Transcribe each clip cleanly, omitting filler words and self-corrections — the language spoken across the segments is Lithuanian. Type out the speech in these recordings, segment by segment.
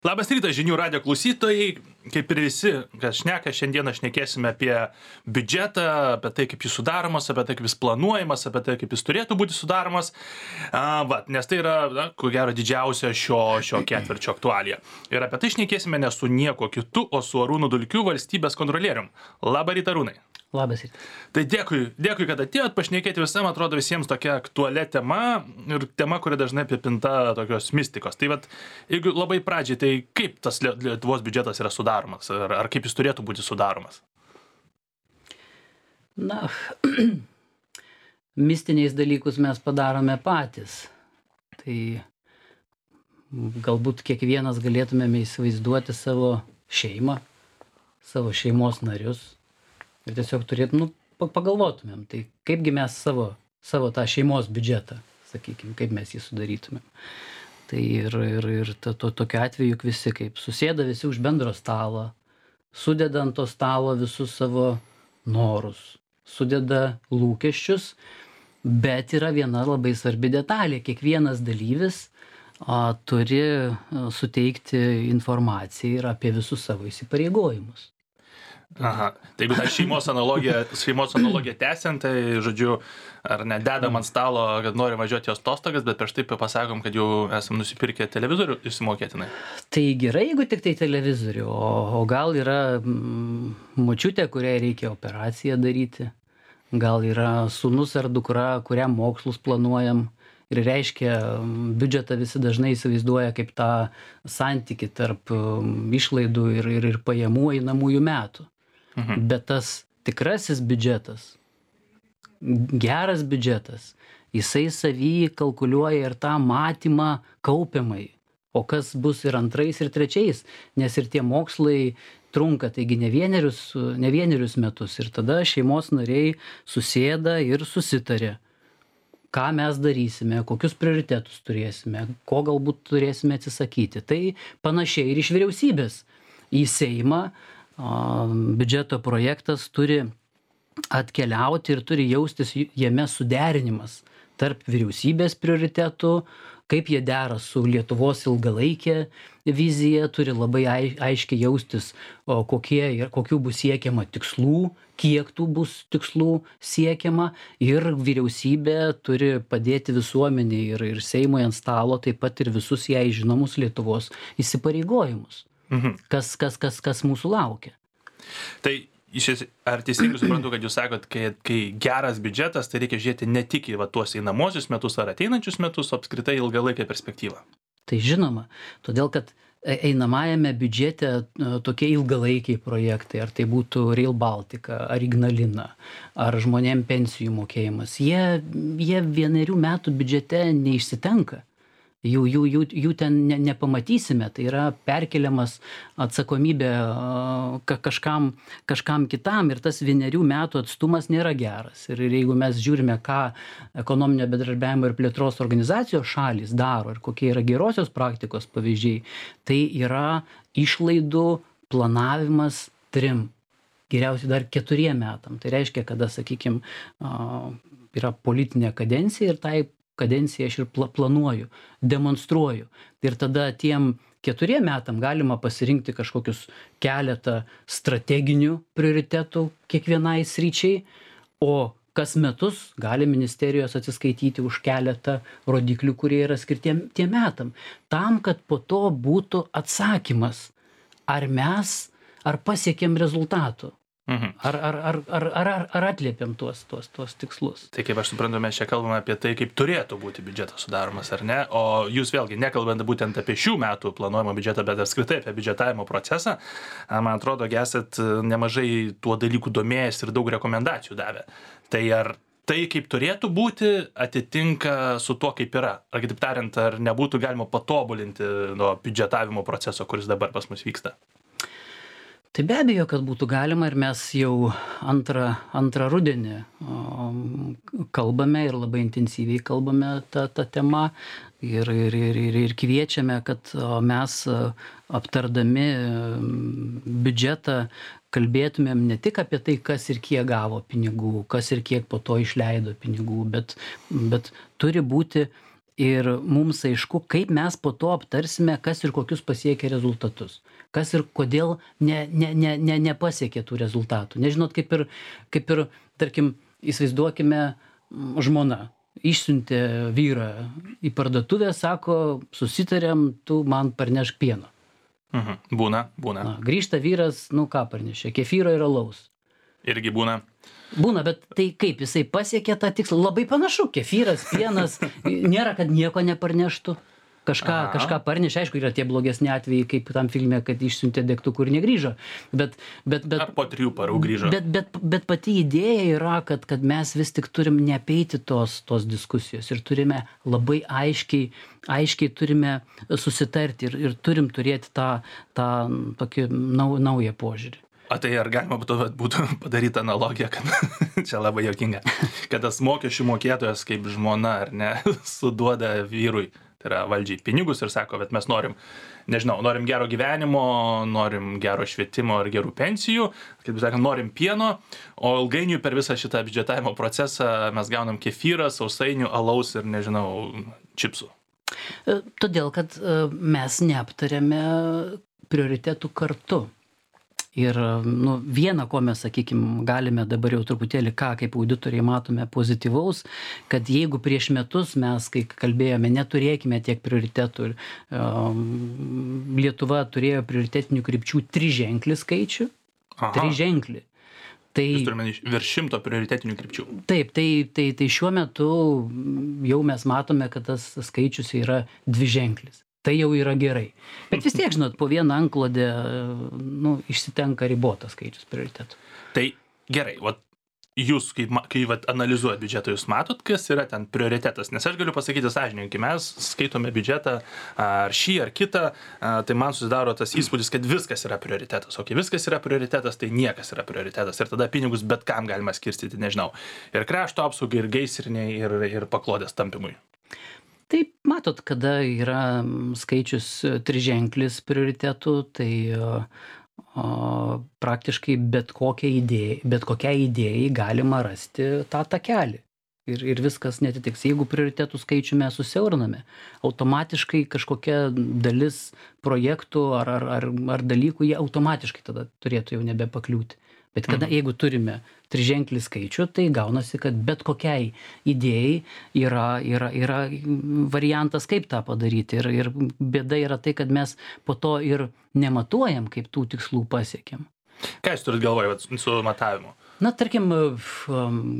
Labas rytas, žinių radijo klausytojai. Kaip ir visi, kas šneka, šiandieną šnekėsime apie biudžetą, apie tai, kaip jis sudaromas, apie tai, kaip jis planuojamas, apie tai, kaip jis turėtų būti sudaromas. Nes tai yra, ko gero, didžiausia šio ketvirčio aktualija. Ir apie tai šnekėsime ne su nieko kitu, o su Arūnu Dulkiu, valstybės kontrolierium. Labą rytą, Arūnai. Labas rytas. Tai dėkui, kad atėjot pašnekėti visam, atrodo visiems tokia aktualia tema ir tema, kuri dažnai apipinta tokios mistikos. Tai vat, jeigu labai pradžiai, tai kaip tas Lietuvos biudžetas yra sudaromas, ar kaip jis turėtų būti sudaromas? Na, mistiniais dalykus mes padarome patys. Tai galbūt kiekvienas galėtumėme įsivaizduoti savo šeimą, savo šeimos narius. Ir tiesiog pagalvotumėm, tai kaipgi mes savo tą šeimos biudžetą, sakykime, kaip mes jį sudarytumėm. Tai ir tokiu atveju juk visi kaip susėda visi už bendro stalo, sudeda ant to stalo visus savo norus, sudeda lūkesčius, bet yra viena labai svarbi detalė. Kiekvienas dalyvis turi suteikti informaciją ir apie visus savo įsipareigojimus. Aha, tai jeigu tą šeimos analogiją tęsiant, tai, žodžiu, ar ne, dedam ant stalo, kad nori važiuoti jos atostogas, bet prieš tai pasakom, kad jau esam nusipirkę televizorių išsimokėtinai. Tai gerai, jeigu tik tai televizorių, o gal yra močiutė, kuriai reikia operaciją daryti, gal yra sūnus ar dukra, kuriam mokslus planuojam. Ir reiškia, biudžetą visi dažnai įsivaizduoja kaip tą santykį tarp išlaidų ir pajamų einamųjų metų. Bet tas tikrasis biudžetas, geras biudžetas, jisai savy kalkuliuoja ir tą matymą kaupiamai. O kas bus ir antrais, ir trečiais, nes ir tie mokslai trunka, taigi ne vienerius metus. Ir tada šeimos nariai susėda ir susitarė, ką mes darysime, kokius prioritetus turėsime, ko galbūt turėsime atsisakyti. Tai panašiai ir iš vyriausybės į Seimą biudžeto projektas turi atkeliauti ir turi jaustis jame suderinimas tarp vyriausybės prioritetų, kaip jie dera su Lietuvos ilgalaikė vizija, turi labai aiškiai jaustis, kokių bus siekiama tikslų, kiek tų bus tikslų siekiama, ir vyriausybė turi padėti visuomeniai ir Seimui ant stalo taip pat ir visus jai žinomus Lietuvos įsipareigojimus. Kas mūsų laukia. Tai ar teisingai suprantu, kad jūs sakot, kai geras biudžetas, tai reikia žiūrėti ne tik į tuos einamosius metus ar ateinančius metus, o apskritai ilgalaikę perspektyvą? Tai žinoma, todėl kad einamajame biudžete tokie ilgalaikiai projektai, ar tai būtų Rail Baltica, ar Ignalina, ar žmonėm pensijų mokėjimas, jie 1 metų biudžete neišsitenka. Jų ten nepamatysime, tai yra perkeliamas atsakomybė kažkam kitam, ir tas 1 metų atstumas nėra geras. Ir jeigu mes žiūrime, ką ekonominio bendradarbiavimo ir plėtros organizacijos šalys daro ir kokie yra gerosios praktikos pavyzdžiai, tai yra išlaidų planavimas 3, geriausiai dar 4 metam. Tai reiškia, kada, sakykime, yra politinė kadencija ir tai kadenciją aš ir planuoju, demonstruoju. Ir tada tiem 4 metam galima pasirinkti kažkokius keletą strateginių prioritetų kiekvienai sričiai, o kas metus gali ministerijos atsiskaityti už keletą rodiklių, kurie yra skirti tiem metam. Tam, kad po to būtų atsakymas, ar pasiekėm rezultatų. Ar atliepiam tuos tikslus? Tai kaip aš suprantu, mes čia kalbame apie tai, kaip turėtų būti biudžetas sudaromas, ar ne? O jūs vėlgi nekalbant būtent apie šių metų planuojamą biudžetą, bet apskritai apie biudžetavimo procesą, man atrodo, esat nemažai tuo dalykų domėjęs ir daug rekomendacijų davę. Tai ar tai, kaip turėtų būti, atitinka su tuo, kaip yra? Ar kitaip tariant, ar nebūtų galima patobulinti nuo biudžetavimo proceso, kuris dabar pas mus vyksta? Tai be abejo, kad būtų galima, ir mes jau antrą rudenį kalbame ir labai intensyviai kalbame tą temą ir kviečiame, kad mes aptardami biudžetą kalbėtumėm ne tik apie tai, kas ir kiek gavo pinigų, kas ir kiek po to išleido pinigų, bet turi būti Ir mums aišku, kaip mes po to aptarsime, kas ir kokius pasiekia rezultatus. Kas ir kodėl nepasiekė tų rezultatų. Nežinot, kaip ir, tarkim, įsivaizduokime, žmona išsiuntė vyrą į parduotuvę, sako, susitarėm, tu man parnešk pieno. Būna. Na, grįžta vyras, ką parnešė, kefyro ir alaus. Irgi būna. Būna, bet tai kaip, jisai pasiekė tą tikslą, labai panašu, kefyras, pienas, nėra, kad nieko neparneštų. Kažką parnešė, aišku, yra tie blogesni atvejai, kaip tam filme, kad išsiuntė degtukų ir negrįžo. Ar po 3 parų grįžo. Bet pati idėja yra, kad mes vis tik turim neapeiti tos diskusijos ir turime labai aiškiai turime susitarti ir turim turėti tą tokį naują požiūrį. O tai ar galima būtų padaryti analogiją, kad čia labai juokinga, kad tas mokesčių mokėtojas kaip žmona, ar ne, suduoda vyrui, tai yra valdžiai, pinigus ir sako, bet mes norim gero gyvenimo, norim gero švietimo ir gerų pensijų, kaip sakant, norim pieno, o ilgainiui per visą šitą biudžetavimo procesą mes gaunam kefyrą, sausainių, alaus ir, čipsų. Todėl, kad mes neaptarėme prioritetų kartu. Ir viena, ko mes, sakykime, galime dabar jau truputėlį kaip auditoriai matome pozityvaus, kad jeigu prieš metus mes, kai kalbėjome, neturėkime tiek prioritetų, Lietuva turėjo prioritetinių krypčių 3-ženklį skaičių. 3-ženklį. Tai jūs turime virš 100 prioritetinių krypčių. Taip, tai šiuo metu jau mes matome, kad tas skaičius yra 2-ženklis. Tai jau yra gerai. Bet vis tiek, žinot, po vieną antklodę išsitenka ribotas skaičius prioritetų. Tai gerai, jūs, kai analizuojat biudžetą, jūs matot, kas yra ten prioritetas. Nes aš galiu pasakyti sąžininkai, mes skaitome biudžetą ar šį ar kitą, tai man susidaro tas įspūdis, kad viskas yra prioritetas. O kai viskas yra prioritetas, tai niekas yra prioritetas. Ir tada pinigus bet kam galima skirstyti, nežinau. Ir krašto apsaugai, ir gaisriniai, ir paklodės tampimui. Taip, matot, kada yra skaičius 3-ženklis prioritetų, tai praktiškai bet kokiai idėjai galima rasti tą takelį. Ir viskas netitiks. Jeigu prioritetų skaičių mes susiauriname, automatiškai kažkokia dalis projektų ar dalykų, jie automatiškai tada turėtų jau nebepakliūti. Bet jeigu turime 3-ženklį skaičių, tai gaunasi, kad bet kokiai idėjai yra variantas, kaip tą padaryti. Ir bėda yra tai, kad mes po to ir nematuojam, kaip tų tikslų pasiekėm. Ką jūs turit galvoje su matavimu? Na, tarkim,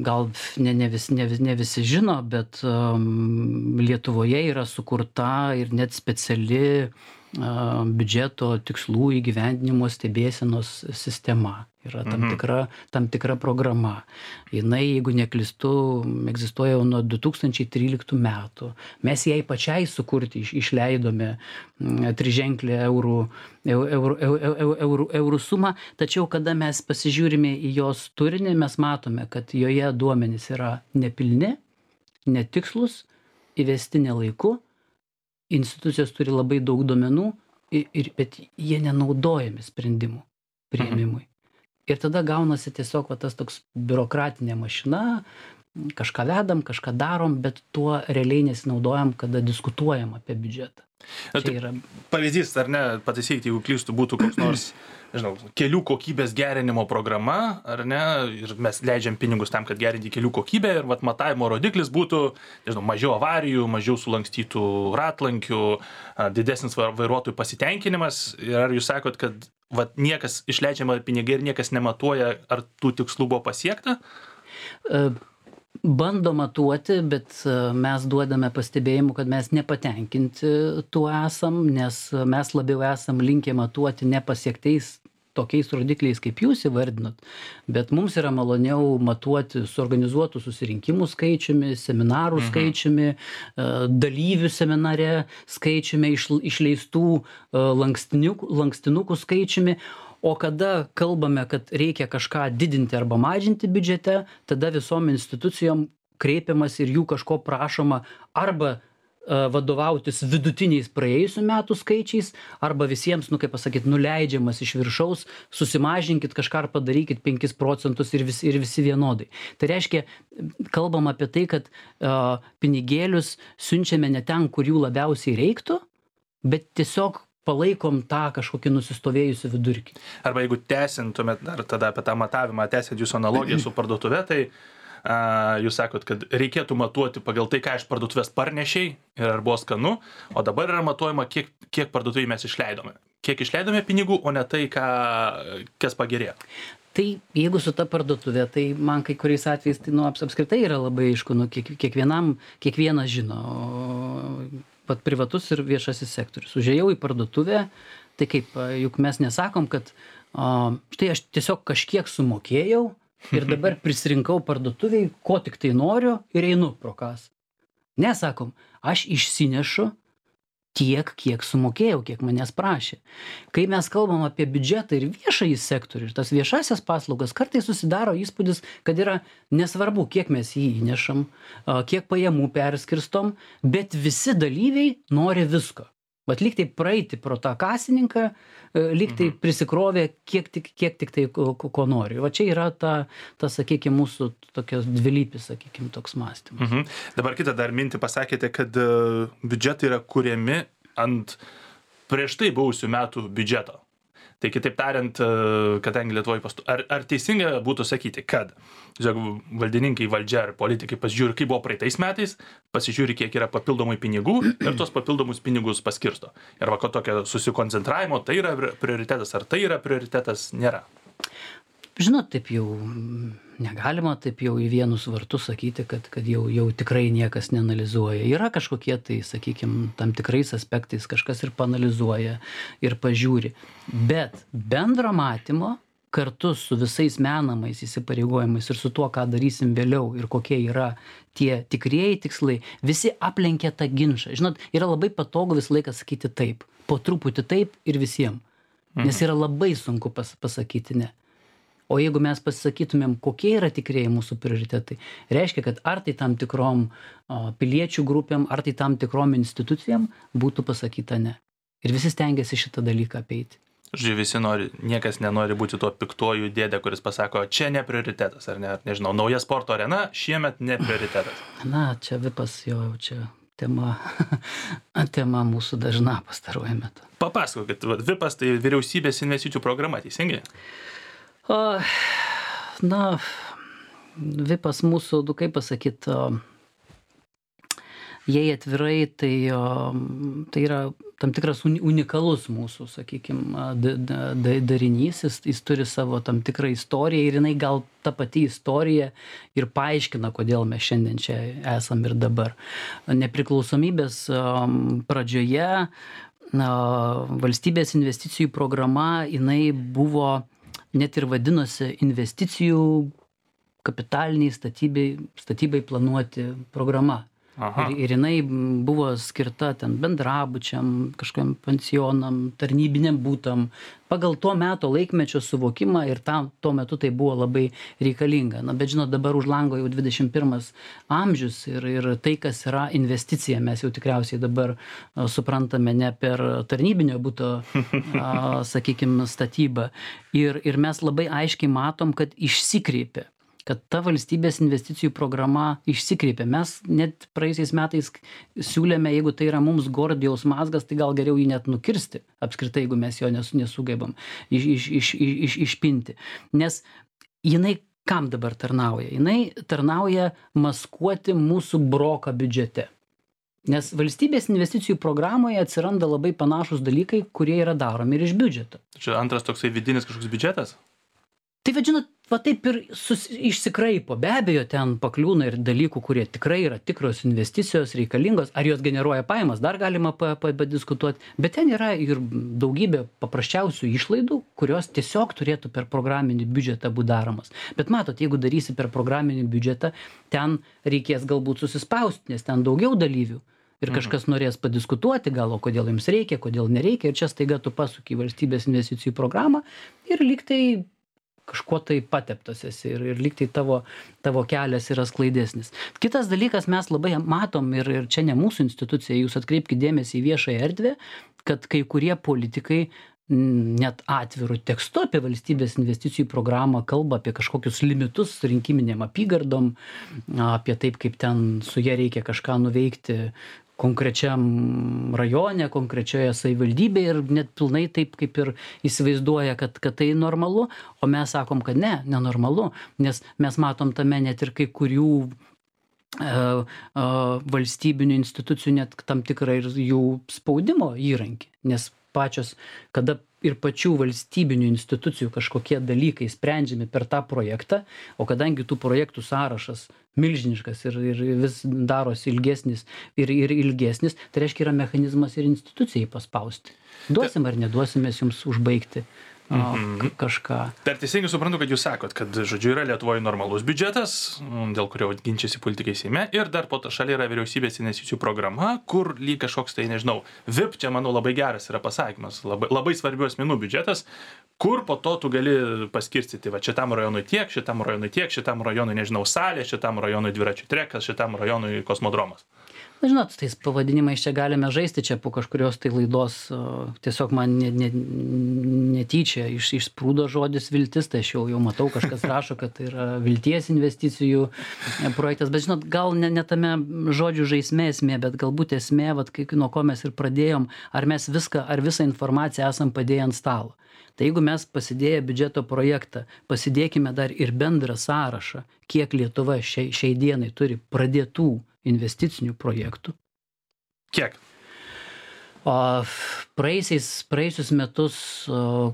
gal ne visi žino, bet Lietuvoje yra sukurta ir net speciali biudžeto tikslų įgyvendinimo stebėsenos sistema. Yra tam tikra programa. Jinai, jeigu neklystu, egzistuoja jau nuo 2013 metų. Mes jai pačiai sukurti išleidome 3-ženklį eurų sumą, tačiau kada mes pasižiūrime į jos turinį, mes matome, kad joje duomenys yra nepilni, netikslus, įvesti nelaiku, institucijos turi labai daug duomenų, bet jie nenaudojami sprendimų priėmimui. Ir tada gaunasi tiesiog tas toks biurokratinė mašina, kažką vedam, kažką darom, bet tuo realiai nesinaudojam, kada diskutuojam apie biudžetą. Pavyzdys, ar ne, pataisykite, jeigu klystu, būtų koks nors, kelių kokybės gerinimo programa, ar ne, ir mes leidžiam pinigus tam, kad gerinti kelių kokybę, ir matavimo rodiklis būtų, mažiau avarijų, mažiau sulankstytų ratlankių, didesnis vairuotojų pasitenkinimas. Ir ar jūs sakot, kad niekas išleidžiama pinigai ir niekas nematuoja, ar tų tikslų buvo pasiekta? Bando matuoti, bet mes duodame pastebėjimų, kad mes nepatenkinti tuo esam, nes mes labiau esam linkę matuoti nepasiektais tokiais rodikliais, kaip jūs įvardinot, bet mums yra maloniau matuoti suorganizuotų susirinkimų skaičiumi, seminarų skaičiumi, dalyvių seminare skaičiumi, išleistų lankstinukų skaičiumi. O kada kalbame, kad reikia kažką didinti arba mažinti biudžete, tada visom institucijom kreipiamas ir jų kažko prašoma arba vadovautis vidutiniais praėjusių metų skaičiais, arba visiems, kaip pasakyt, nuleidžiamas iš viršaus, susimažinkit kažką ar padarykit 5 procentus ir visi vienodai. Tai reiškia, kalbam apie tai, kad pinigėlius siunčiame ne ten, kur jų labiausiai reiktų, bet tiesiog palaikom tą kažkokį nusistovėjusių vidurkį. Arba jeigu tęsintumėt dar tada apie tą matavimą, tęsiant jūsų analogiją su parduotuve, tai jūs sakot, kad reikėtų matuoti pagal tai, ką iš parduotuvės parnešiai ir ar buvo skanu, o dabar yra matuojama, kiek parduotuvėje mes išleidome. Kiek išleidome pinigų, o ne tai, kas pagerėjo. Tai jeigu su ta parduotuvė, tai man kai kuriais atvejais tai apskritai yra labai aišku, kiekvienas žino, pat privatus ir viešasis sektorius. Užėjau į parduotuvę, tai kaip, juk mes nesakom, kad štai aš tiesiog kažkiek sumokėjau ir dabar prisirinkau parduotuviai, ko tik tai noriu ir einu pro kas. Nesakom, aš išsinešu tiek, kiek sumokėjau, kiek manęs prašė. Kai mes kalbam apie biudžetą ir viešąjį sektorių ir tas viešasias paslaugas, kartais susidaro įspūdis, kad yra nesvarbu, kiek mes jį įnešam, kiek pajamų perskirstom, bet visi dalyviai nori visko. Bet lyg tai praeiti pro tą kasininką, lyg tai prisikrovė kiek tik tai ko nori. Va čia yra ta sakykime, mūsų tokios dvilypis, sakykime, toks mąstymas. Dabar kitą dar mintį pasakėte, kad biudžetai yra kuriami ant prieš tai buvusių metų biudžeto. Tai kitaip tariant, kadangi Lietuvoje ar teisinga būtų sakyti, kad valdininkai, valdžia ar politikai pasižiūri, kaip buvo praeitais metais, pasižiūri, kiek yra papildomai pinigų ir tos papildomus pinigus paskirsto. Ir va, ko tokio susikoncentravimo, tai yra prioritetas, ar tai yra prioritetas, nėra. Žinot, taip jau negalima taip jau į vienus vartus sakyti, kad jau tikrai niekas neanalizuoja. Yra kažkokie tai, sakykime, tam tikrais aspektais kažkas ir paanalizuoja ir pažiūri. Bet bendro matymo kartu su visais menamais įsipareigojimais ir su tuo, ką darysim vėliau ir kokie yra tie tikrieji tikslai, visi aplenkia tą ginčą. Žinot, yra labai patogu visą laiką sakyti taip, po truputį taip ir visiems. Nes yra labai sunku pasakyti ne. O jeigu mes pasisakytumėm, kokie yra tikrieji mūsų prioritetai, reiškia, kad ar tai tam tikrom piliečių grupėm, ar tai tam tikrom institucijom būtų pasakyta ne. Ir visi stengiasi šitą dalyką apeiti. Visi niekas nenori būti tuo piktuoju dėdė, kuris pasako, čia ne prioritetas, ar ne, nežinau, nauja sporto arena šiemet ne prioritetas. Na, čia vipas jau čia tema mūsų dažna pastaruoju metu. Papasakokit, VIPas tai vyriausybės investicijų programa, teisingai? Na, VIPas mūsų, kaip pasakyt, jei atvirai, tai yra tam tikras unikalus mūsų, sakykime, darinys, jis turi savo tam tikrą istoriją ir jinai gal ta pati istorija ir paaiškina, kodėl mes šiandien čia esam ir dabar. Nepriklausomybės pradžioje valstybės investicijų programa, jinai buvo net ir vadinosi investicijų kapitaliniai statybai planuoti programa. Ir jinai buvo skirta ten bendrabučiam, kažkokiam pensionam, tarnybiniam būtam, pagal to meto laikmečio suvokimą ir tuo metu tai buvo labai reikalinga. Na, bet žinot, dabar už lango jau 21 amžius ir tai, kas yra investicija, mes jau tikriausiai dabar suprantame ne per tarnybinio būto, sakykime, statybą. Ir mes labai aiškiai matom, kad išsikreipė. Kad ta valstybės investicijų programa išsikreipė. Mes net praeisiais metais siūlėme, jeigu tai yra mums Gordijaus mazgas, tai gal geriau jį net nukirsti, apskritai, jeigu mes jo nesugebam išpinti. Nes jinai kam dabar tarnauja? Jinai tarnauja maskuoti mūsų broką biudžete. Nes valstybės investicijų programoje atsiranda labai panašus dalykai, kurie yra daromi ir iš biudžeto. Čia antras toksai vidinis kažkoks biudžetas? Tai vadžinot, va taip ir išsikraipo. Be abejo, ten pakliūna ir dalykų, kurie tikrai yra tikros investicijos, reikalingos. Ar jos generuoja pajamas, dar galima padiskutuoti. Bet ten yra ir daugybė paprasčiausių išlaidų, kurios tiesiog turėtų per programinį biudžetą būti daromas. Bet matot, jeigu darysi per programinį biudžetą, ten reikės galbūt susispausti, nes ten daugiau dalyvių. Ir kažkas norės padiskutuoti, gal, o kodėl jums reikia, kodėl nereikia. Ir čia staiga tu pasuki į valstybės investicijų programą ir lyg tai kažkuo tai pateptas esi ir lyg tai tavo kelias yra sklaidesnis. Kitas dalykas, mes labai matom ir čia ne mūsų institucija, jūs atkreipkite dėmesį į viešąją erdvę, kad kai kurie politikai net atvirų tekstu apie valstybės investicijų programą kalba apie kažkokius limitus rinkiminėm apygardom, apie taip, kaip ten su ja reikia kažką nuveikti konkrečiam rajone, konkrečioje savivaldybėje ir net pilnai taip, kaip ir įsivaizduoja, kad tai normalu, o mes sakom, kad nenormalu, nes mes matom tame net ir kai kurių valstybinių institucijų net tam tikrą ir jų spaudimo įrankį, nes pačios, kada ir pačių valstybinių institucijų kažkokie dalykai sprendžiami per tą projektą, o kadangi tų projektų sąrašas milžiniškas ir vis darosi ilgesnis ir ilgesnis, tai reiškia yra mechanizmas ir institucijai paspausti. Duosim ar neduosim mes jums užbaigti kažką. Dar teisingai suprantu, kad jūs sakot, kad, žodžiu, yra Lietuvoje normalus biudžetas, dėl kurio ginčiasi politikai Seime, ir dar po to šalia yra vyriausybės investicijų programa, kur lyg kažkoks tai, nežinau, VIP, čia, manau, labai geras yra pasakymas, labai svarbių asmenų biudžetas, kur po to tu gali paskirstyti, va, šitam rajonui tiek, šitam rajonui, nežinau, salė, šitam rajonui dviračių trekas, šitam rajonui kosmodromas. Na, žinot, tais pavadinimais čia galime žaisti, čia po kažkurios tai laidos tiesiog man netyčia išsprūdo žodis viltis, tai aš jau matau, kažkas rašo, kad tai yra vilties investicijų projektas, bet žinot, gal ne tame žodžių žaismė esmė, bet galbūt esmė, vat, nuo ko mes ir pradėjom, ar mes visą informaciją esam padėję ant stalo. Tai jeigu mes pasidėję biudžeto projektą, pasidėkime dar ir bendrą sąrašą, kiek Lietuva šiai dienai turi pradėtų investicinių projektų. Kiek? Praėjusius metus,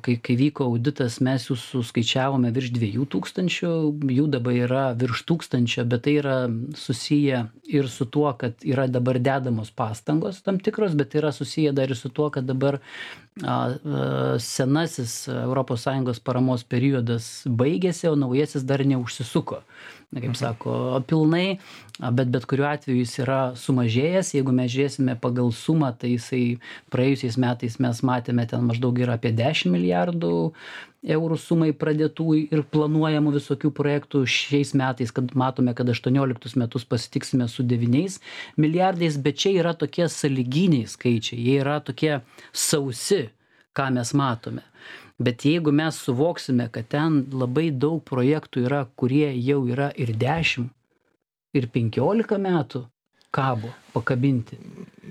kai vyko auditas, mes jų suskaičiavome virš 2000, jų dabar yra virš 1000, bet tai yra susiję ir su tuo, kad yra dabar dedamos pastangos tam tikros, bet yra susiję dar ir su tuo, kad dabar senasis ES paramos periodas baigėsi, o naujasis dar neužsisuko. Kaip sako, pilnai, bet kuriuo atveju jis yra sumažėjęs. Jeigu mes žiūrėsime pagal sumą, tai jisai praėjusiais metais mes matėme ten maždaug yra apie 10 milijardų eurų sumai pradėtų ir planuojamų visokių projektų. Šiais metais, kad matome, kad 18 metus pasitiksime su 9 milijardais, bet čia yra tokie sąlyginiai skaičiai, jie yra tokie sausi, ką mes matome. Bet jeigu mes suvoksime, kad ten labai daug projektų yra, kurie jau yra ir 10, ir 15 metų kabo pakabinti.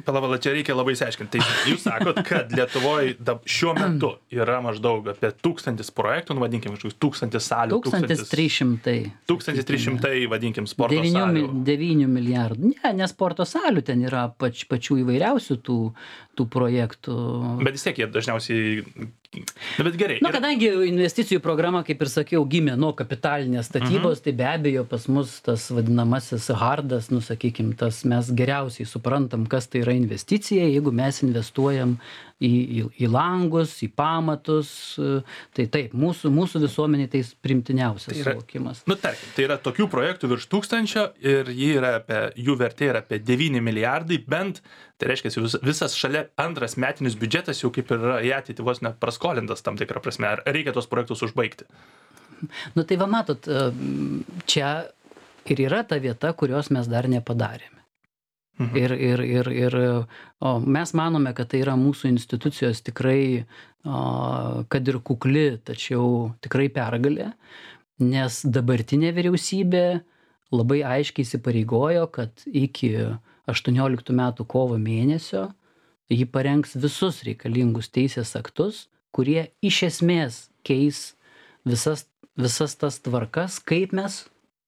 Palavala, čia reikia labai išsiaiškinti. Tai jūs sakot, kad Lietuvoje šiuo metu yra maždaug apie 1000 projektų, vadinkim, 1000 salių. 1300. 1300, vadinkim, sporto salių. 9 milijardų. Ne sporto salių, ten yra pačių įvairiausių tų projektų. Bet vis tiek jie dažniausiai... Bet gerai. Kadangi investicijų programa, kaip ir sakiau, gimė nuo kapitalinės statybos, tai be abejo pas mus tas vadinamasis hardas, sakykim, tas mes geriausiai suprantam, kas tai yra investicija, jeigu mes investuojam į langus, į pamatus, tai taip, mūsų visuomeniai tai primtiniausias suvokimas. Tarkim, tai yra tokių projektų virš 1000 ir jų vertė yra apie 9 milijardai, bent, tai reiškia, visas šalia antras metinis biudžetas jau kaip ir yra į ateitį vos nepraskolintas tam tikrą prasme. Ar reikia tos projektus užbaigti? Tai va matot, čia ir yra ta vieta, kurios mes dar nepadarėme. Ir mes manome, kad tai yra mūsų institucijos tikrai, kad ir kukli, tačiau tikrai pergalė, nes dabartinė vyriausybė labai aiškiai įsipareigojo, kad iki 18 metų kovo mėnesio ji parengs visus reikalingus teisės aktus, kurie iš esmės keis visas tas tvarkas, kaip mes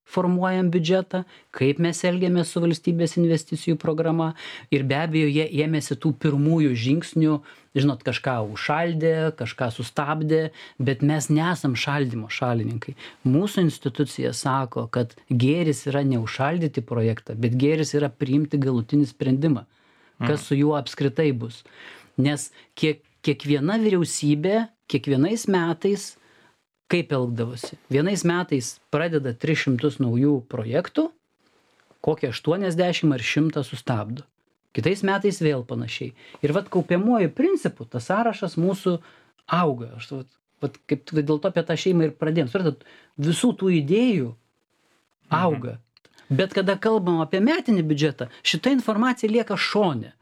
formuojam biudžetą, kaip mes elgiamės su valstybės investicijų programa ir be abejo jie ėmėsi tų pirmųjų žingsnių, žinot, kažką užšaldė, kažką sustabdė, bet mes nesam šaldymo šalininkai. Mūsų institucija sako, kad gėris yra neužšaldyti projektą, bet gėris yra priimti galutinį sprendimą, kas su juo apskritai bus. Nes kiekviena vyriausybė, kiekvienais metais kaip elgdavosi. Vienais metais pradeda 300 naujų projektų, kokie 80 ar 100 sustabdo. Kitais metais vėl panašiai. Ir kaupiamuoju principu tas sąrašas mūsų auga. vat kaip dėl to apie tą šeimą ir pradėjom. Suprantat, visų tų idėjų auga. Bet kada kalbam apie metinį biudžetą, šita informacija lieka šone.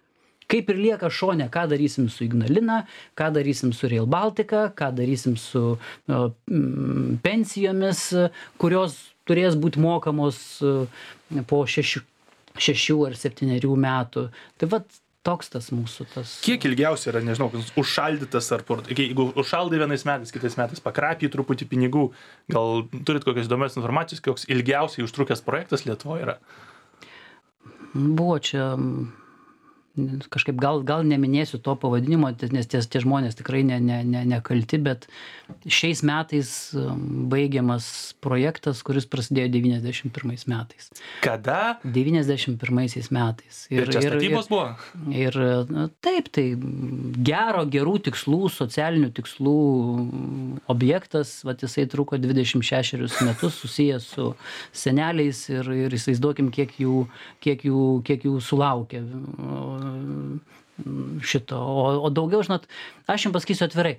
Kaip ir lieka šone, ką darysim su Ignalina, ką darysim su Rail Baltica, ką darysim su pensijomis, kurios turės būti mokamos po 6 ar 7 metų. Tai vat toks tas mūsų tas. Kiek ilgiausiai yra, nežinau, užšaldytas ar jeigu užšaldai vienais metais, kitais metais pakrapį truputį pinigų, gal turit kokios įdomios informacijos, koks ilgiausiai užtrukęs projektas Lietuvoje yra? Buvo čia kažkaip gal neminėsiu to pavadinimo, nes tie žmonės tikrai nekalti, bet šiais metais baigiamas projektas, kuris prasidėjo 91 metais. Kada? 91 metais. Ir čia statybos buvo? Ir taip, tai gerų tikslų, socialinių tikslų objektas, vat jisai truko 26 metus, susijęs su seneliais ir įsivaizduokim, kiek jų sulaukė šito. O daugiau, žinot, aš jums pasakysiu atvirai,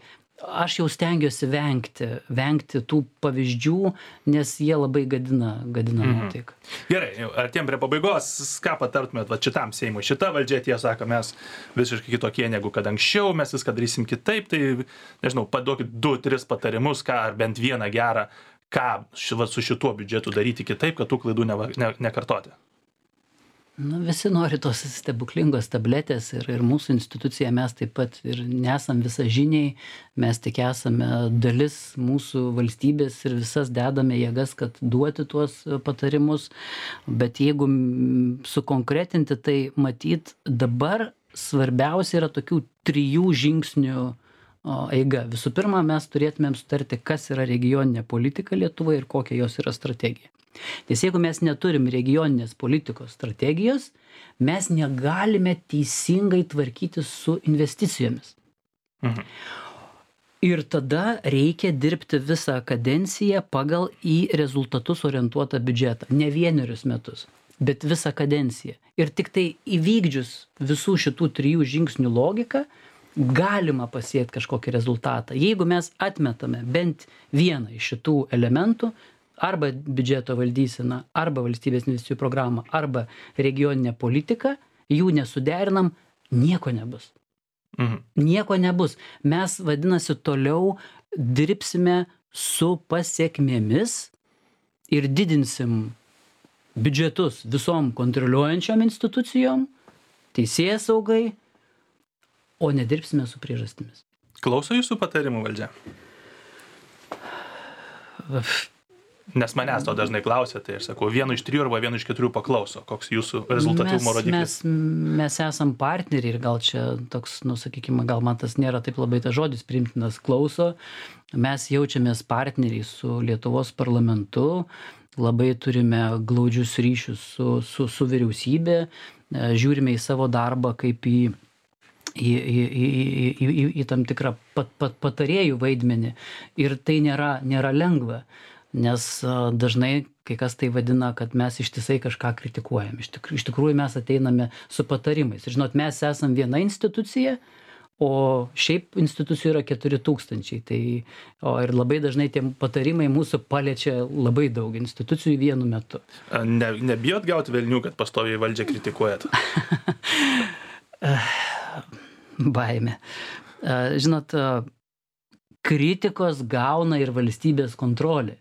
aš jau stengiuosi vengti tų pavyzdžių, nes jie labai gadina nuotaiką. Gerai, artėjom prie pabaigos, ką patartumėt va šitam Seimui? Šita valdžia, tiesą sako, mes visiškai kitokie negu kad anksčiau, mes viską darysim kitaip, tai, nežinau, paduokit 2-3 patarimus, ką ar bent vieną gerą, ką su šituo biudžetu daryti kitaip, kad tų klaidų nekartoti. Visi nori tos stebuklingos tabletės ir mūsų institucija, mes taip pat ir nesam visažiniai, mes tik esame dalis mūsų valstybės ir visas dedame jėgas, kad duoti tuos patarimus, bet jeigu sukonkretinti, tai matyt dabar svarbiausia yra tokių 3 žingsnių eiga. Visų pirma, mes turėtumėm sutarti, kas yra regioninė politika Lietuvoje ir kokia jos yra strategija. Nes jeigu mes neturim regioninės politikos strategijos, mes negalime teisingai tvarkyti su investicijomis. Ir tada reikia dirbti visą kadenciją pagal į rezultatus orientuotą biudžetą. Ne 1 metus, bet visą kadenciją. Ir tik tai įvykdžius visų šitų 3 žingsnių logiką, galima pasiekti kažkokį rezultatą. Jeigu mes atmetame bent vieną iš šitų elementų, arba biudžeto valdysena, arba valstybės investicijų programą, arba regioninė politika, jų nesuderinam, nieko nebus. Nieko nebus. Mes, vadinasi, toliau dirbsime su pasiekmėmis ir didinsim biudžetus visom kontroliuojančiom institucijom, teisėsaugai, o nedirbsime su priežastimis. Klauso jūsų patarimų valdžia? Nes manęs to dažnai klausia, tai aš sakau, 1 iš 3 arba 1 iš 4 paklauso, koks jūsų rezultatyvumo rodiklis. Mes esam partneriai ir gal čia toks, sakykime, gal man tas nėra taip labai tas žodis priimtinas, klauso. Mes jaučiamės partneriai su Lietuvos parlamentu, labai turime glaudžius ryšius su vyriausybė, žiūrime į savo darbą kaip į tam tikrą patarėjų vaidmenį ir tai nėra lengva. Nes dažnai kai kas tai vadina, kad mes ištisai kažką kritikuojam. Iš tikrųjų mes ateiname su patarimais. Ir žinot, mes esam viena institucija, o šiaip institucijų yra 4000. Ir labai dažnai tie patarimai mūsų paliečia labai daug institucijų vienu metu. Nebijot gauti velnių, kad pastoviai valdžią kritikuojat? Baimė. Žinot, kritikos gauna ir valstybės kontrolė.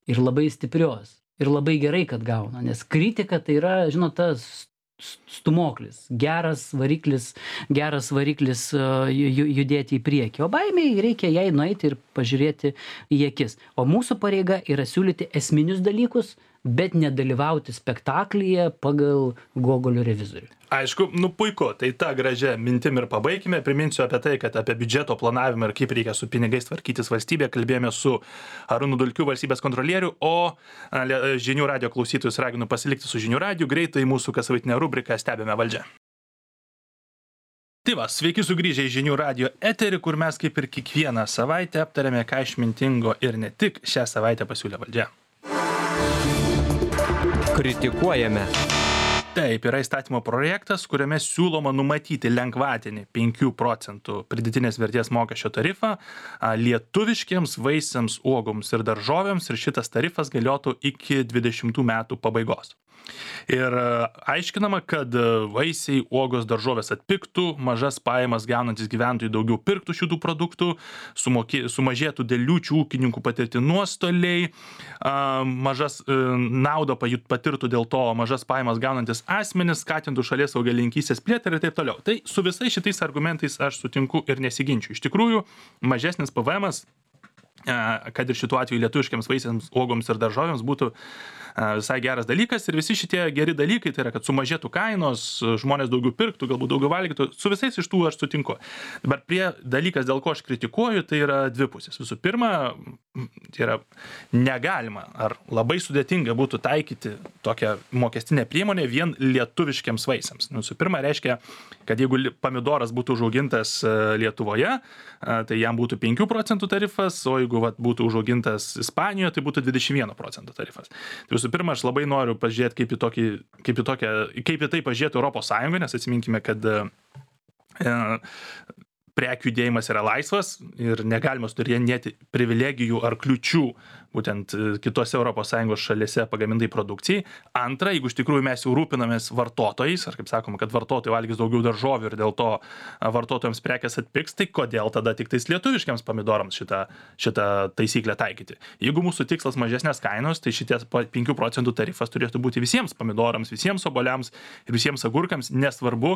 Ir labai stiprios. Ir labai gerai, kad gauna. Nes kritika tai yra, žinot, tas stumoklis. Geras variklis judėti į priekį. O baimiai reikia jai nueiti ir pažiūrėti į akis. O mūsų pareiga yra siūlyti esminius dalykus, bet nedalyvauti spektaklyje pagal Gogolio revizorių. Aišku, puiku, tai tą gražią mintim ir pabaigime. Priminsiu apie tai, kad apie biudžeto planavimą ir kaip reikia su pinigais tvarkytis valstybė kalbėjome su Arūnu Dulkiu, valstybės kontrolieriu, o Žinių radijo klausytojus raginu pasilikti su Žinių radiju. Greitai mūsų kasavaitinė rubrika Stebime valdžią. Tai va, sveiki sugrįžę į Žinių radijo eterį, kur mes kaip ir kiekvieną savaitę aptarėme, ką išmintingo ir ne tik šią savaitę pasiūlė valdžia. Kritikuojame. Taip, yra įstatymo projektas, kuriame siūloma numatyti lengvatinį 5 procentų pridėtinės vertės mokesčio tarifą lietuviškiems vaisiams, uogoms ir daržovėms, ir šitas tarifas galiotų iki 20 metų pabaigos. Ir aiškinama, kad vaisiai, uogos, daržovės atpigtų, mažas pajamas gaunantis gyventojai daugiau pirktų šitų produktų, sumažėtų dėl liūčių ūkininkų patirti nuostoliai, mažas naudą patirtų dėl to mažas pajamas gaunantis asmenys, skatintų šalies augalininkystės plėtrą ir taip toliau. Tai su visais šitais argumentais aš sutinku ir nesiginčiu. Iš tikrųjų, mažesnis PVM'as, kad ir šituo atveju lietuviškiams vaisiams, uogoms ir daržovėms būtų visai geras dalykas, ir visi šitie geri dalykai, tai yra, kad sumažėtų kainos, žmonės daugiau pirktų, galbūt daugiau valgytų, su visais iš tų aš sutinku. Dabar dalykas, dėl ko aš kritikuoju, tai yra dvi pusės. Visų pirma, tai yra negalima ar labai sudėtinga būtų taikyti tokią mokestinę priemonę vien lietuviškiams vaisiams. Visų pirma, reiškia, kad jeigu pomidoras būtų užaugintas Lietuvoje, tai jam būtų 5 procentų tarifas, o jeigu būtų užaugintas Ispanijoje, tai būtų 21 procentų tarifas. Tai visų pirma, aš labai noriu pažiūrėti, kaip į tai pažiūrėtų Europos Sąjunga, nes atsiminkime, kad prekių judėjimas yra laisvas ir negalima sudarinėti privilegijų ar kliučių būtent kitose ES šalyse pagamintai produkcijai. Antra, jeigu iš tikrųjų mes jau rūpinamės vartotojais, ar kaip sakoma, kad vartotojai valgys daugiau daržovių ir dėl to vartotojams prekės atpigs, tai kodėl tada tik tais lietuviškiams pomidorams šitą taisyklę taikyti? Jeigu mūsų tikslas mažesnės kainos, tai šities 5 procentų tarifas turėtų būti visiems pomidorams, visiems obuoliams ir visiems agurkams, nesvarbu,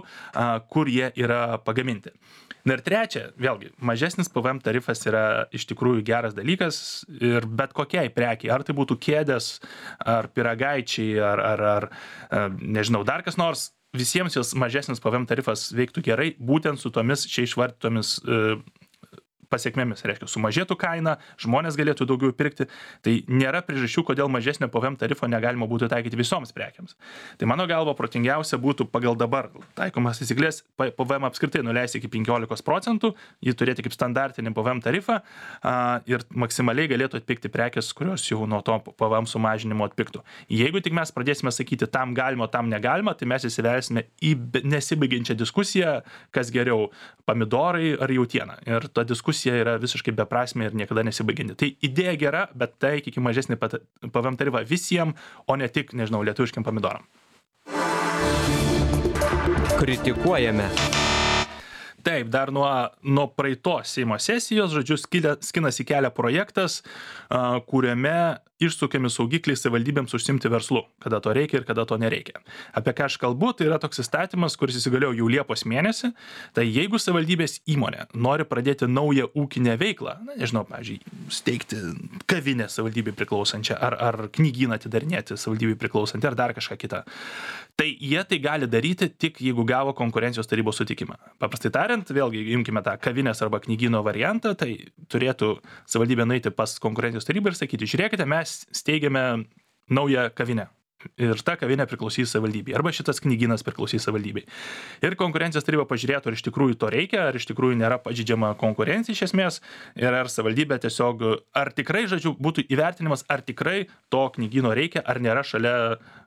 kur jie yra pagaminti. Na ir trečia, vėlgi, mažesnis PVM tarifas yra iš tikrųjų geras dalykas ir bet kokiai prekiai, ar tai būtų kėdės, ar pyragaičiai, ar nežinau, dar kas nors, visiems jos mažesnis PVM tarifas veiktų gerai, būtent su tomis čia išvardytomis pasiekmėmis, reiškia, sumažėtų kaina, žmonės galėtų daugiau pirkti, tai nėra priežasčių, kodėl mažesnio PVM tarifo negalima būtų taikyti visoms prekiams. Tai mano galva protingiausia būtų pagal dabar taikomas taisyklės PVM apskritai nuleisti iki 15 procentų, jį turėti kaip standartinį PVM tarifą ir maksimaliai galėtų atpigti prekės, kurios jau nuo to PVM sumažinimo atpigtų. Jeigu tik mes pradėsime sakyti tam galima, tam negalima, tai mes įsivelsime į nesibaigiančią diskusiją, kas geriau, pomidorai ar jautiena. Ir ta diskusija yra visiškai beprasmė ir niekada nesibaigianti. Tai idėja gera, bet taikykime mažesnį PVM tarifą visiems, o ne tik, nežinau, lietuviškiam pomidoram. Kritikuojame. Taip, dar nuo praeitos Seimo sesijos, žodžiu, skinasi kelią projektas, kuriame išsukiami saugikliai savivaldybėms užsimti verslu, kada to reikia ir kada to nereikia. Apie ką aš kalbu, tai yra toks įstatymas, kuris įsigaliojo jau Liepos mėnesį. Tai jeigu savivaldybės įmonė nori pradėti naują ūkinę veiklą, nežinau, pavyzdžiui, steigti kavinę savivaldybei priklausančią, ar knygyną atidarinėti savivaldybei priklausantį, ar dar kažką kitą, tai jie tai gali daryti tik jeigu gavo konkurencijos tarybos sutikimą. Paprastai tariant, vėlgi imkime tą kavinės arba knygyno variantą, tai turėtų savivaldybė nueiti pas konkurencijos tarybą ir sakyti, žiūrėkite, mes steigiame naują kavinę. Ir ta kavinė priklausys savivaldybei, arba šitas knygynas priklausys savivaldybei. Ir konkurencijos taryba pažiūrėtų, ar iš tikrųjų to reikia, ar iš tikrųjų nėra pažeidžiama konkurencija iš esmės, ir ar savivaldybė tiesiog, ar tikrai, žodžiu, būtų įvertinimas, ar tikrai to knygyno reikia, ar nėra šalia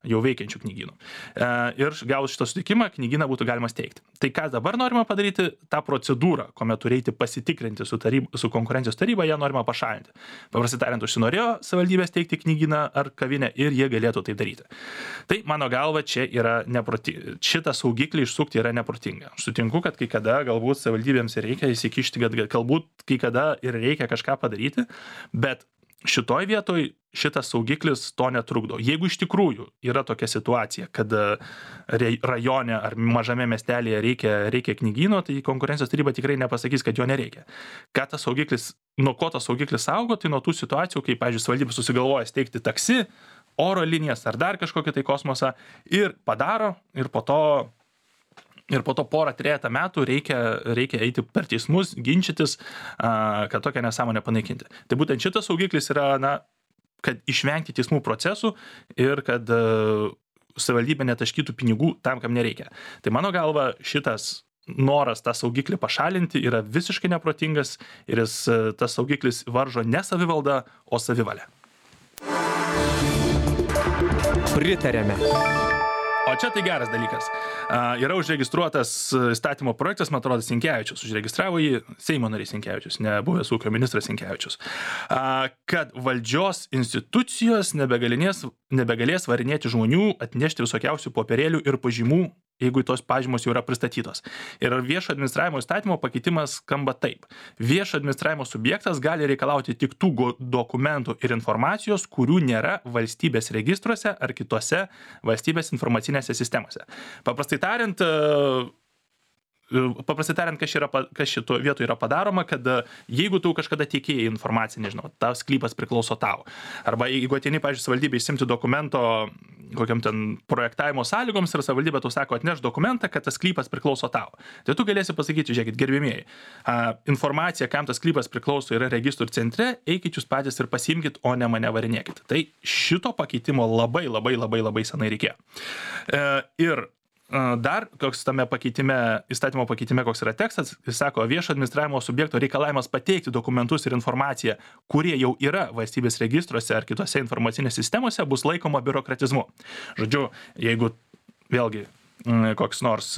jau veikiančių knygynų. Ir gavus šitą sutikimą, knygyną būtų galima steigti. Tai ką dabar norima padaryti, tą procedūrą, kuomet turėti pasitikrinti su konkurencijos taryba, ją norima pašalinti. Paprastai tariant, užsinorėjo savivaldybė steigti knygyną ar kavinę ir jie galėtų tai daryti. Tai mano galva čia yra neprotinga. Šitą saugiklį išsukti yra neprotinga. Aš sutinku, kad kai kada galbūt savivaldybėms reikia įsikišti, kad galbūt kai kada ir reikia kažką padaryti, bet šitoj vietoj šitas saugiklis to netrukdo. Jeigu iš tikrųjų yra tokia situacija, kad rajone ar mažame miestelėje reikia knygyno, tai konkurencijos taryba tikrai nepasakys, kad jo nereikia. Nuo ko tas saugiklis saugo, tai nuo tų situacijų, kai, pavyzdžiui, savivaldybė susigalvoja steigti taksi, oro linijas ar dar kažkokį tai kosmosą ir padaro ir po to porą trejata metų reikia eiti per teismus, ginčytis, kad tokią nesąmonę panaikinti. Tai būtent šitas saugiklis yra, kad išvengti teismų procesų ir kad savivaldybė netaškytų pinigų tam, kam nereikia. Tai mano galva šitas noras tą saugiklį pašalinti yra visiškai neprotingas ir tas saugiklis varžo ne savivaldą, o savivalę. Pritarėme. O čia tai geras dalykas. Yra užregistruotas įstatymo projektas, man atrodo, Sinkevičius. Užregistravo jį Seimo narys Sinkevičius, ne buvęs ūkio ministras Sinkevičius. Kad valdžios institucijos nebegalės varinėti žmonių, atnešti visokiausių popierėlių ir pažymų, jeigu tos pažymos jau yra pristatytos. Ir viešo administravimo įstatymo pakeitimas skamba taip. Viešo administravimo subjektas gali reikalauti tik tų dokumentų ir informacijos, kurių nėra valstybės registruose ar kitose valstybės informacinėse sistemose. Paprastai tariant, kas šito vietoje yra padaroma, kad jeigu tu kažkada tiekėjai informaciją, nežinau, tas sklypas priklauso tau. Arba jeigu ateini, pavyzdžiui, savivaldybė išsimti dokumento kokiam ten projektavimo sąlygoms ir savivaldybė tau sako, atneš dokumentą, kad tas sklypas priklauso tau. Tai tu galėsi pasakyti, žiūrėkit, gerbėmieji, informacija, kam tas sklypas priklauso, yra registrų centre, eikit jūs patys ir pasiimkit, o ne mane varinėkit. Tai šito pakeitimo labai senai reikėjo. Ir dar, koks tame įstatymo pakeitime, koks yra tekstas, jis sako, viešo administravimo subjekto reikalavimas pateikti dokumentus ir informaciją, kurie jau yra valstybės registruose ar kitose informacinėse sistemose, bus laikoma biurokratizmu. Žodžiu, jeigu vėlgi koks nors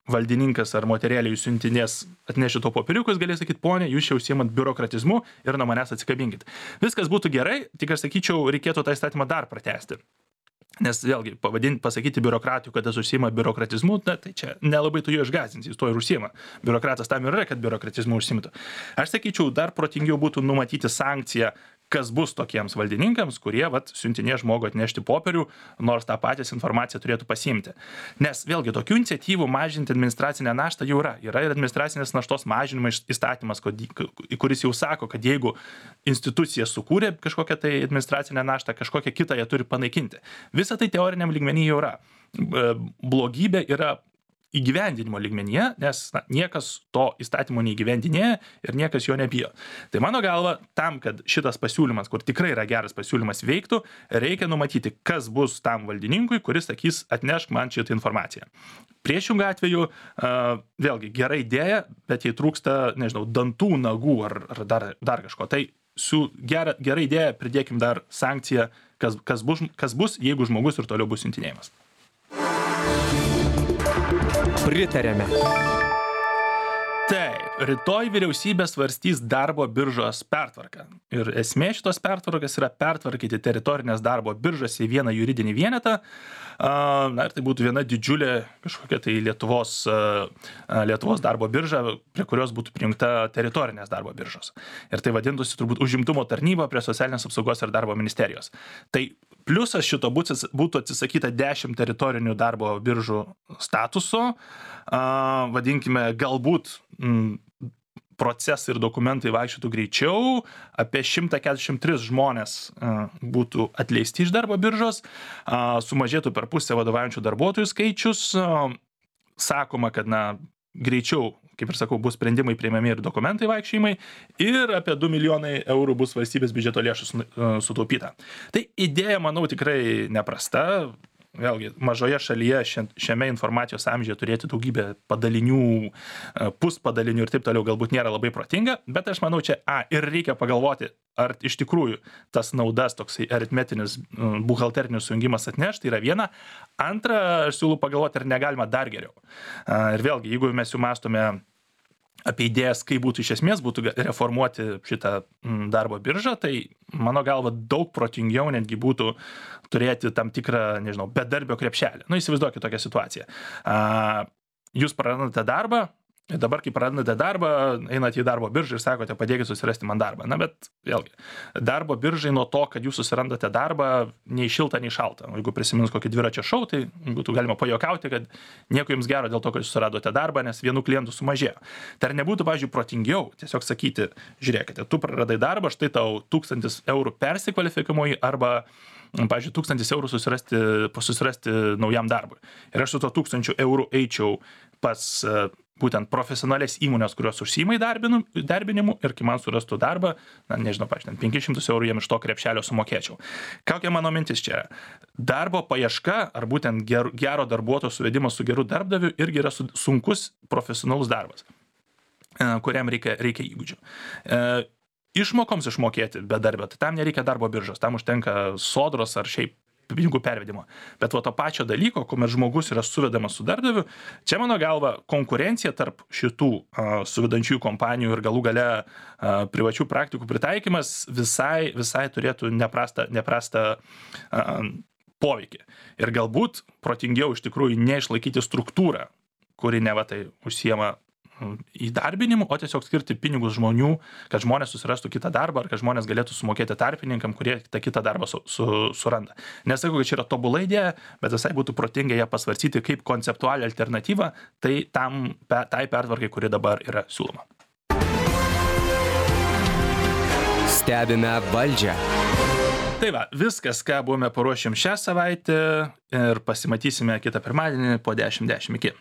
valdininkas ar moterėlė jūs siuntinės atneši to popieriukus, galės sakyti, ponė, jūs čia užsiimat biurokratizmu ir nuo manęs atsikabinkit. Viskas būtų gerai, tik aš sakyčiau, reikėtų tą įstatymą dar pratęsti. Nes vėlgi, pasakyti biurokratijų, kad jis užsiima biurokratizmu, tai čia nelabai tu jo išgąsdinsi, jis to ir užsiima. Biurokratas tam yra, kad biurokratizmu užsimtų. Aš sakyčiau, dar protingiau būtų numatyti sankciją, kas bus tokiems valdininkams, kurie siuntinė žmogų atnešti popierių, nors tą patys informaciją turėtų pasiimti. Nes vėlgi, tokių iniciatyvų mažinti administracinę naštą jau yra. Yra ir administracinės naštos mažinimo įstatymas, kuris jau sako, kad jeigu institucija sukūrė kažkokią tai administracinę naštą, kažkokią kitą jie turi panaikinti. Visa tai teoriniam lygmenyje jau yra. Blogybė yra įgyvendinimo lygmenyje, nes niekas to įstatymo neįgyvendinėja ir niekas jo nebijo. Tai mano galva, tam, kad šitas pasiūlymas, kur tikrai yra geras pasiūlymas, veiktų, reikia numatyti, kas bus tam valdininkui, kuris sakys, atnešk man šitą informaciją. Priešingų atveju, vėlgi, gera idėja, bet jei trūksta, nežinau, dantų, nagų ar dar kažko. Tai su gera idėja pridėkim dar sankciją, kas bus, jeigu žmogus ir toliau bus siuntinėjimas. Pritarėme. Taip, rytoj vyriausybė svarstys darbo biržos pertvarką. Ir esmė šitos pertvarkas yra pertvarkyti teritorinės darbo biržas į vieną juridinį vienetą. Ir tai būtų viena didžiulė kažkokia tai Lietuvos darbo birža, prie kurios būtų prijungta teritorinės darbo biržos. Ir tai vadintųsi turbūt užimtumo tarnyba prie socialinės apsaugos ir darbo ministerijos. Tai pliusas šito būtų atsisakyta 10 teritorinių darbo biržų statuso. Vadinkime, galbūt procesai ir dokumentai vaikščiotų greičiau, apie 143 žmonės būtų atleisti iš darbo biržos, sumažėtų per pusę vadovaujančių darbuotojų skaičius, sakoma, kad greičiau, kaip ir sakau, bus sprendimai priimami ir dokumentai vaikščiojimai ir apie 2 milijonai eurų bus valstybės biudžeto lėšų sutaupyta. Tai idėja, manau, tikrai neprasta. Vėlgi, mažoje šalyje šiame informacijos amžiuje turėti daugybę padalinių, puspadalinių ir taip toliau galbūt nėra labai protinga, bet aš manau, čia ir reikia pagalvoti, ar iš tikrųjų tas naudas, toksai aritmetinis buhalterinis sujungimas atneš, tai yra viena. Antra, aš siūlau pagalvoti, ar negalima dar geriau. Ir vėlgi, jeigu mes jau mąstome apie idėjas, kaip būtų iš esmės būtų reformuoti šitą darbo biržą, tai mano galva daug protingiau netgi būtų turėti tam tikrą, nežinau, bedarbio krepšelį. Įsivaizduokit tokią situaciją. Jūs prarandate darbą, ir dabar, kai prarandate darbą, einate į darbo biržą ir sakote, padėkit susirasti man darbą. Bet vėlgi, darbo biržai nuo to, kad jūs susirandate darbą, nei šilta, nei šalta. Jeigu prisimins kokį dviračio šou, tai būtų galima pajuokauti, kad nieko jums gero dėl to, kad jūs susiradote darbą, nes vienų klientų sumažėjo. Tai ar nebūtų, pavyzdžiui, protingiau tiesiog sakyti, žiūrėkite, tu praradai darbą, štai tau 1000 eurų persikvalifikavimui arba, pavyzdžiui, 1000 eurų susirasti naujam darbui. Ir aš su to 1000 eurų eičiau pas būtent profesionalės įmonės, kurios užsiima įdarbinimu ir kai man surastų darbą, nežinau, pavyzdžiui, 500 eurų jiem iš to krepšelio sumokėčiau. Kokia mano mintis čia yra? Darbo paieška ar būtent gero darbuotojo suvedimas su geru darbdaviu irgi yra sunkus profesionalus darbas, kuriam reikia įgūdžių. Išmokoms išmokėti bedarbio, tai tam nereikia darbo biržos, tam užtenka sodros ar šiaip pinigų pervedimo. Bet to pačio dalyko, kuomet žmogus yra suvedamas su darbdaviu, čia mano galva konkurencija tarp šitų suvedančiųjų kompanijų ir galų gale privačių praktikų pritaikymas visai turėtų neprastą poveikį. Ir galbūt protingiau iš tikrųjų neišlaikyti struktūrą, kuri neva tai užsiema įdarbinimu, o tiesiog skirti pinigus žmonių, kad žmonės susirastų kitą darbą, ar kad žmonės galėtų sumokėti tarpininkam, kurie tą kitą darbą suranda. Nesakau, kad čia yra tobula idėja, bet visai būtų protinga ją pasvarstyti kaip konceptualią alternatyvą tai pertvarkai, kuri dabar yra siūloma. Stebime valdžią. Tai va, viskas, ką buvome paruošėm šią savaitę ir pasimatysime kitą pirmadienį po 10:10. Iki.